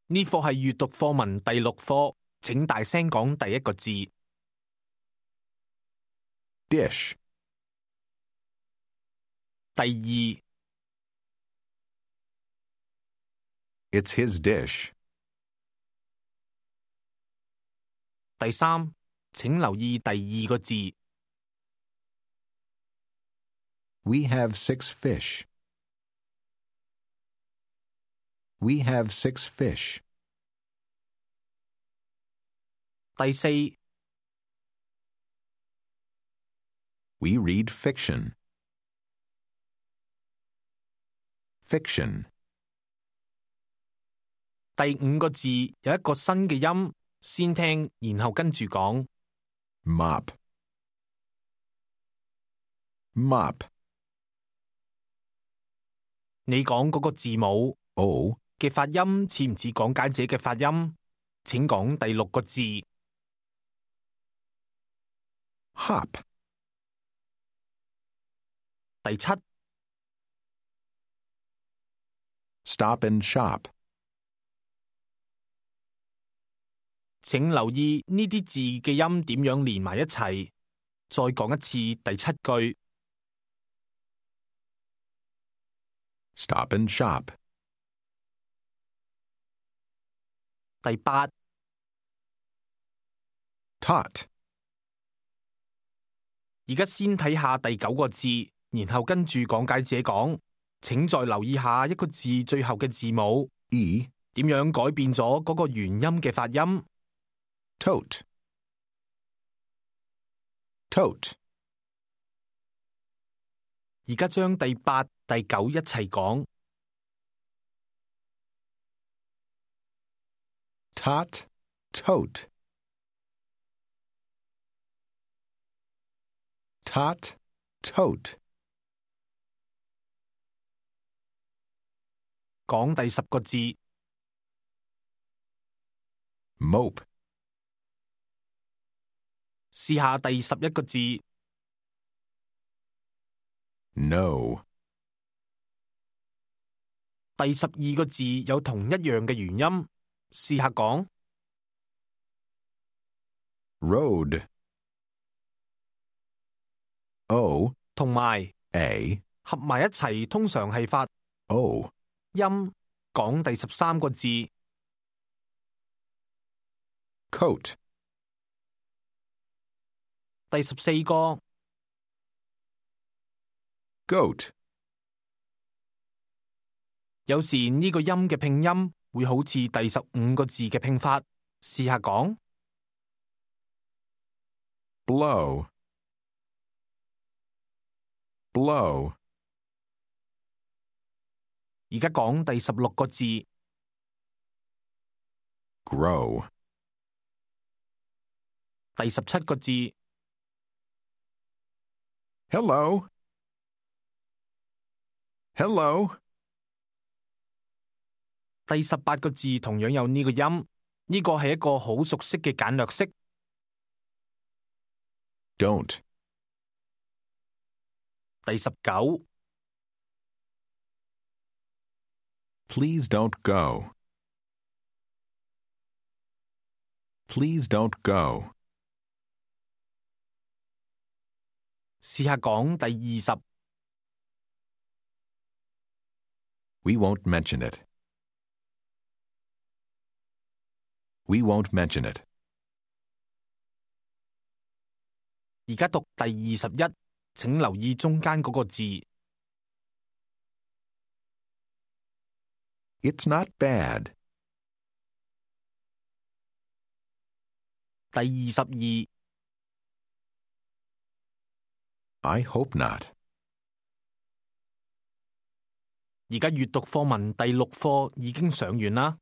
呢課係閱讀課文第6課，請大聲講第一個字。dish, 第二， it's his dish. 第三，請留意第二個字。We have 6 fish. We have 6 fish. 第四， We read fiction. Fiction. 第五個字有一個新嘅音，先聽，然後跟住講。 Mop. Mop. 你講嗰個字母 O. 嘅發音似唔似講解者嘅發音？請講第6個字。Hop. 第七， Stop and shop. 請留意呢啲字嘅音點樣連埋一齊。再講一次第7句。 Stop and shop. 第8， Taught. 而家先睇下第9個字，然後跟住講解者講。請再留意下一個字最後嘅字母 E. 點樣改變咗嗰個原音嘅發音。 Tote. Tote. 而家將第8、第9一齊講。 Tot. Tote. Tot. Tote. 講第10個字。 Mope. 試下第11個字。 No. 第12個字有同一樣嘅原音，試下講。 Road. O. 同埋 A. 合埋一齊，通常係發 O. 音。講第13個字。 Coat. 第14個。 Goat. 有時呢個音嘅拼音會好似第15個字嘅拼法，試下講。 Blow. Blow. 而家講第16個字。 Grow. 第17個字。 Hello. Hello. 第18個字同樣有呢個音，呢個係一個好熟悉嘅簡略式。 Don't. 第19。 Please don't go. Please don't go. 試下講第20。 We won't mention it. We won't mention it. 而家讀第21，請留意中間嗰個字。 It's not bad. 第22。 I hope not. 而家閱讀課文第6課已經上完啦。